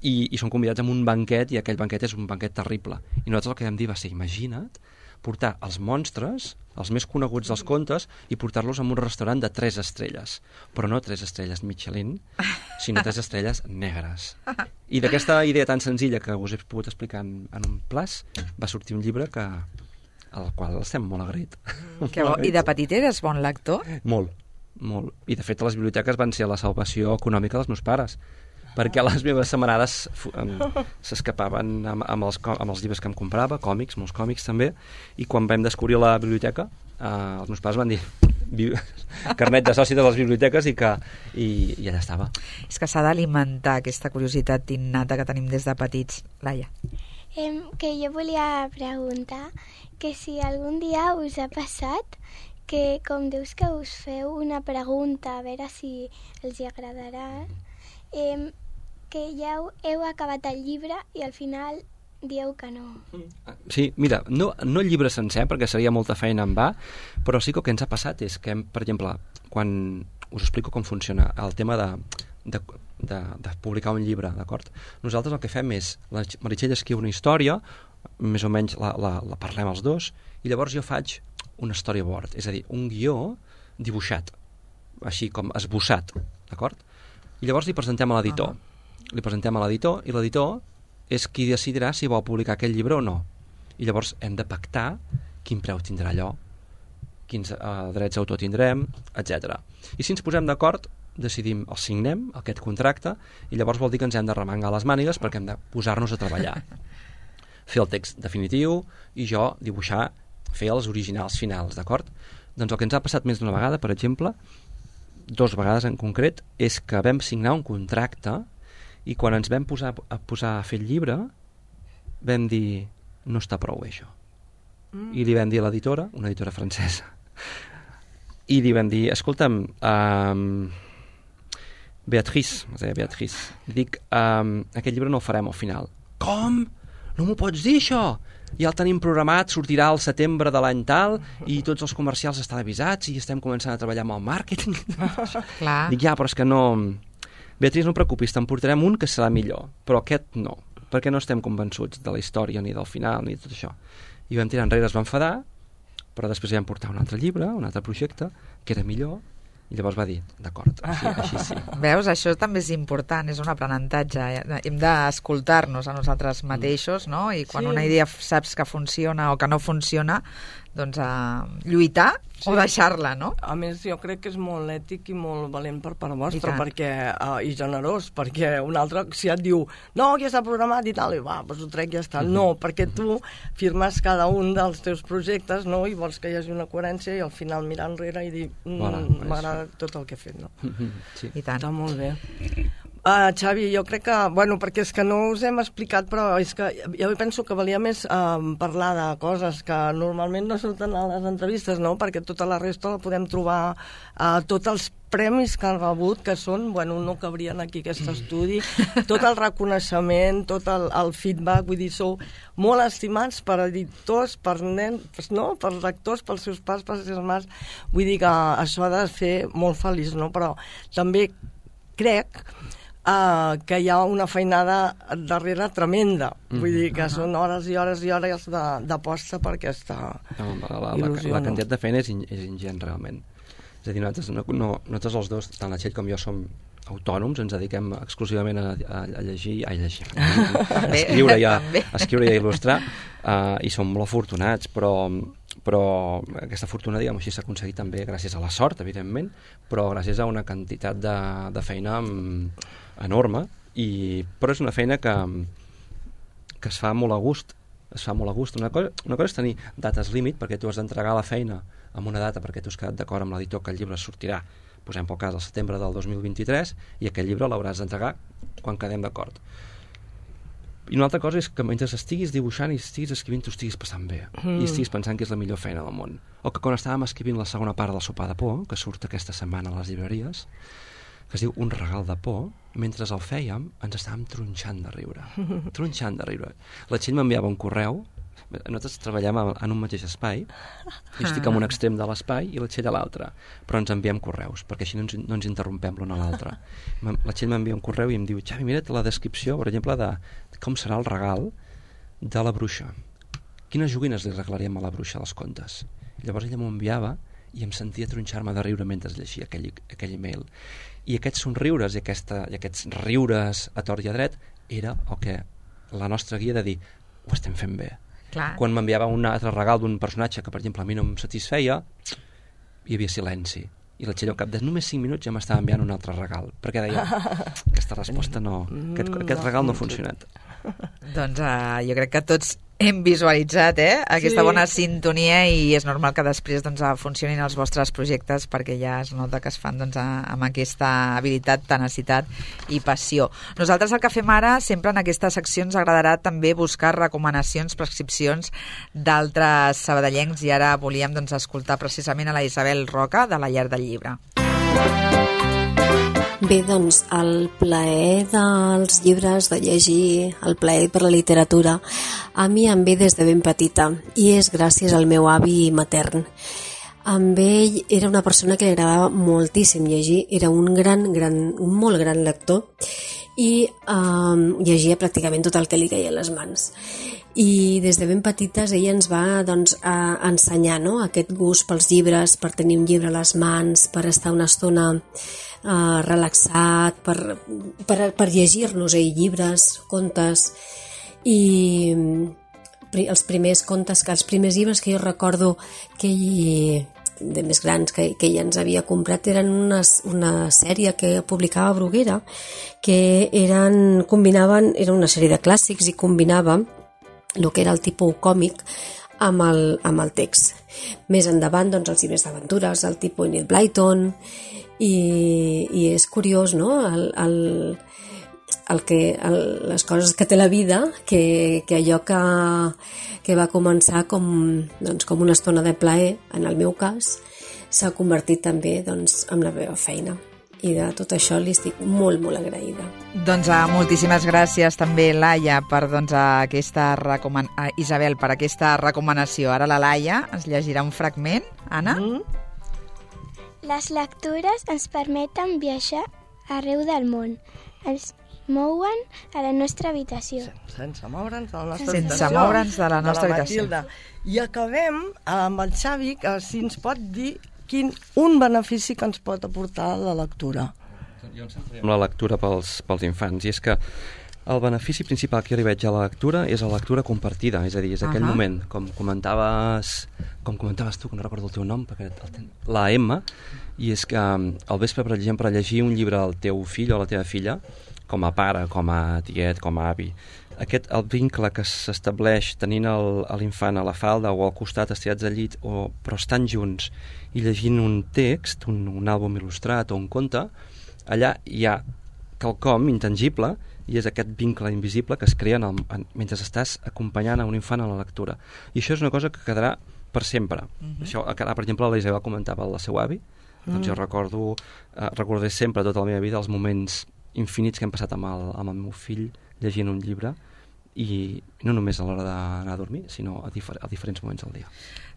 i, i són convidats amb un banquet, i aquell banquet és un banquet terrible. I nosaltres el que vam dir va ser, imagina't, portar els monstres, els més coneguts dels contes, i portar-los a un restaurant de tres estrelles. Però no tres estrelles Michelin, sinó tres estrelles negres. I d'aquesta idea tan senzilla que us he pogut explicar en, en un plaç, va sortir un llibre que, al qual estem molt agraït. Que bo. I de petit eres bon lector? Molt, molt. I de fet les biblioteques van ser la salvació econòmica dels meus pares, perquè les meves setmanades s'escapaven amb, amb, els, amb els llibres que em comprava, còmics, molts còmics també, i quan vam descobrir la biblioteca, eh, els meus pares van dir carnet de soci de les biblioteques i que i, i allà estava. És que s'ha d'alimentar aquesta curiositat innata que tenim des de petits. Laia. Eh, que jo volia preguntar que si algun dia us ha passat que, com dius que us feu una pregunta a veure si els hi agradarà, eh, que ja heu acabat el llibre i al final dieu que no. Sí, mira, no, no el llibre sencer, perquè seria molta feina en va, però sí que el que ens ha passat és que, per exemple, quan us explico com funciona el tema de, de, de, de publicar un llibre, d'acord? Nosaltres el que fem és, la Meritxell escriu una història, més o menys la, la, la parlem els dos, i llavors jo faig un storyboard, és a dir, un guió dibuixat, així com esbossat, d'acord? I llavors li presentem a l'editor. Uh-huh. Li presentem a l'editor, i l'editor és qui decidirà si vol publicar aquell llibre o no. I llavors hem de pactar quin preu tindrà allò, quins uh, drets d'autor tindrem, etcètera. I si ens posem d'acord, decidim, el signem, aquest contracte, i llavors vol dir que ens hem de remengar les mànigues perquè hem de posar-nos a treballar. Fer el text definitiu i jo dibuixar fer els originals finals, d'acord? Doncs el que ens ha passat més d'una vegada, per exemple, dos vegades en concret, és que vam signar un contracte i quan ens vam posar a posar a fer el llibre vam dir, no està prou bé això. Mm. I li vam dir a l'editora, una editora francesa, i li vam dir, escolta'm, um, Beatrice, Beatrice, dic, um, aquest llibre no el farem al final. Com? No m'ho pots dir, això? Ja el tenim programat, sortirà al setembre de l'any tal, i tots els comercials estan avisats, i estem començant a treballar amb el màrqueting. Clar. Dic, ja, però és que no... Beatrice, no et preocupis, te'n portarem un que serà millor, però aquest no, perquè no estem convençuts de la història, ni del final, ni de tot això. I vam tirar enrere, es va enfadar, però després vam portar un altre llibre, un altre projecte, que era millor, i llavors va dir, d'acord, així, així sí. Veus, això també és important, és un aprenentatge. Hem d'escoltar-nos a nosaltres mateixos, no? I quan sí. una idea saps que funciona o que no funciona, doncs a lluitar sí. o deixar-la, no? A més, jo crec que és molt ètic i molt valent per part vostra, I, perquè, uh, i generós, perquè un altre, si et diu, no, ja està programat i tal, i va, doncs ho trec i ja està. Mm-hmm. No, perquè tu firmes cada un dels teus projectes, no?, i vols que hi hagi una coherència i al final mirar enrere i dir, mm, voilà, m'agrada tot el que he fet, no? Sí. I tant. Està molt bé. Uh, Xavi, jo crec que, bueno, perquè és que no us hem explicat, però és que jo penso que valia més uh, parlar de coses que normalment no surten a les entrevistes, no? Perquè tota la resta la podem trobar, uh, tots els premis que han rebut, que són, bueno, no cabrien aquí aquest estudi, tot el reconeixement, tot el, el feedback, vull dir, sou molt estimats per editors, per nens, no? Per lectors, pels seus pares, pels seus mares, vull dir que això ha de fer molt feliç, no? Però també crec Uh, que hi ha una feinada darrere tremenda. Mm. Vull dir que uh-huh. són hores i hores i hores d'aposta per aquesta no, la, la, il·lusió. La, la quantitat de feina és, in, és ingent, realment. És a dir, nosaltres, no, no, nosaltres els dos, tant la Txell com jo, som autònoms, ens dediquem exclusivament a, a, a llegir, a llegir, a escriure i a, a, escriure i a il·lustrar, uh, i som molt afortunats, però, però aquesta fortuna, diguem així, s'ha aconseguit també gràcies a la sort, evidentment, però gràcies a una quantitat de, de feina enorme, i, però és una feina que, que es fa molt a gust, es fa molt a gust. Una cosa, una cosa és tenir dates límit, perquè tu has d'entregar la feina amb una data, perquè tu has quedat d'acord amb l'editor que el llibre sortirà, posem pel cas, al setembre del dos mil vint-i-tres, i aquest llibre l'hauràs d'entregar quan quedem d'acord. I una altra cosa és que mentre estiguis dibuixant i estiguis escrivint, tu estiguis passant bé, mm. i estiguis pensant que és la millor feina del món. O que quan estàvem escrivint la segona part del Sopar de por, que surt aquesta setmana a les llibreries, que es diu Un regal de por, mentre el fèiem ens estàvem tronxant de riure. Tronxant de riure. La Txell m'enviava un correu, nosaltres treballem en un mateix espai, jo estic en un extrem de l'espai i la Txell a l'altre, però ens enviem correus, perquè així no ens, no ens interrompem l'un a l'altre. La Txell m'envia un correu i em diu, Xavi, mira't la descripció, per exemple, de com serà el regal de la bruixa. Quines joguines li regalaríem a la bruixa dels contes? I llavors ella m'ho enviava i em sentia tronxar-me de riure mentre llegia aquell, aquell email. I aquests somriures i, aquesta, i aquests riures a tort i a dret era el que la nostra guia de dir, ho estem fent bé. Clar. Quan m'enviava un altre regal d'un personatge que, per exemple, a mi no em satisfeia, hi havia silenci. I la Txell, al cap de només cinc minuts, ja m'estava enviant un altre regal, perquè deia, aquesta resposta no, aquest, aquest regal no ha funcionat. Doncs uh, jo crec que tots hem visualitzat eh, aquesta sí. bona sintonia, i és normal que després doncs, funcionin els vostres projectes, perquè ja es nota que es fan doncs, amb aquesta habilitat, tenacitat i passió. Nosaltres el que fem ara, sempre en aquestes seccions, agradarà també buscar recomanacions, prescripcions d'altres sabadellencs, i ara volíem doncs, escoltar precisament a la Isabel Roca de la Llar del Llibre. Bé, doncs, el plaer dels llibres, de llegir, el plaer per la literatura, a mi em ve des de ben petita, i és gràcies al meu avi matern. Amb ell era una persona que li agradava moltíssim llegir, era un gran, gran, un molt gran lector, i eh, llegia pràcticament tot el que li caia a les mans. I des de ben petites ella ens va doncs, a ensenyar no? aquest gust pels llibres, per tenir un llibre a les mans, per estar una estona Uh, relaxat, per, per, per llegir-nos eh, llibres, contes, i pri, els primers contes, que els primers llibres que jo recordo que ell, de més grans que, que ella ens havia comprat, eren una, una sèrie que publicava Bruguera, que eren, combinaven, era una sèrie de clàssics i combinava el que era el tipus còmic amb el, amb el text. Més endavant, doncs, els llibres d'aventures, el tipus Enid Blyton, i, i és curiós, no?, el, el, el que, el, les coses que té la vida, que, que allò que, que va començar com, doncs, com una estona de plaer, en el meu cas, s'ha convertit també, doncs, en la meva feina. I de tot això li estic molt, molt agraïda. Doncs uh, moltíssimes gràcies també, Laia, per doncs, aquesta recoman... uh, Isabel, per aquesta recomanació. Ara la Laia ens llegirà un fragment. Anna? Mm. Les lectures ens permeten viatjar arreu del món. Ens mouen a la nostra habitació. Sense moure'ns de la nostra Sense habitació. Sense moure'ns de la nostra de la habitació. Matilda. I acabem amb el Xavi, que si ens pot dir quin un benefici que ens pot aportar la lectura. Jo em centraré en la lectura pels, pels infants, i és que el benefici principal que jo li veig a la lectura és la lectura compartida, és a dir, és aquell uh-huh. moment, com comentaves, com comentaves tu, que no recordo el teu nom, perquè el, la Emma, i és que al vespre, per exemple, llegir un llibre al teu fill o a la teva filla, com a pare, com a tiet, com a avi, aquest, el vincle que s'estableix tenint el, l'infant a la falda o al costat estirats al llit, o, però estan junts i llegint un text, un, un àlbum il·lustrat o un conte, allà hi ha quelcom intangible i és aquest vincle invisible que es crea en el, en, mentre estàs acompanyant a un infant a la lectura. I això és una cosa que quedarà per sempre. Uh-huh. Això, ara, per exemple, la Isabel comentava el seu avi, uh-huh. doncs jo recordo, eh, recordaré sempre tota la meva vida els moments infinits que hem passat amb el, amb el meu fill llegint un llibre, i no només a l'hora d'anar a dormir, sinó a, difer- a diferents moments del dia.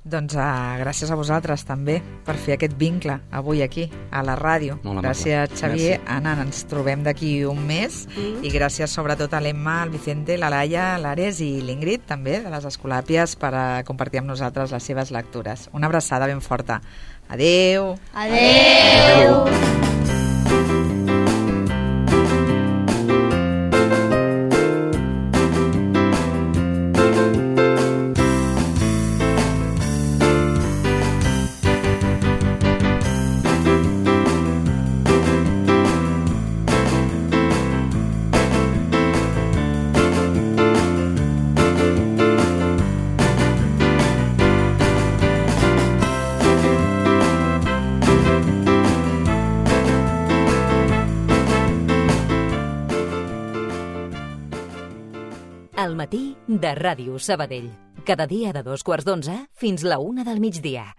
Doncs uh, gràcies a vosaltres també per fer aquest vincle avui aquí a la ràdio. Gràcies, Xavier. Gràcies. Anna, ens trobem d'aquí un mes mm. i gràcies sobretot a l'Emma, el Vicente, la Laia, l'Ares i l'Ingrid també de les Escolàpies per uh, compartir amb nosaltres les seves lectures. Una abraçada ben forta. Adeu. Adeu. Adeu. Al matí de Ràdio Sabadell. Cada dia de dos quarts d'onze fins la una del migdia.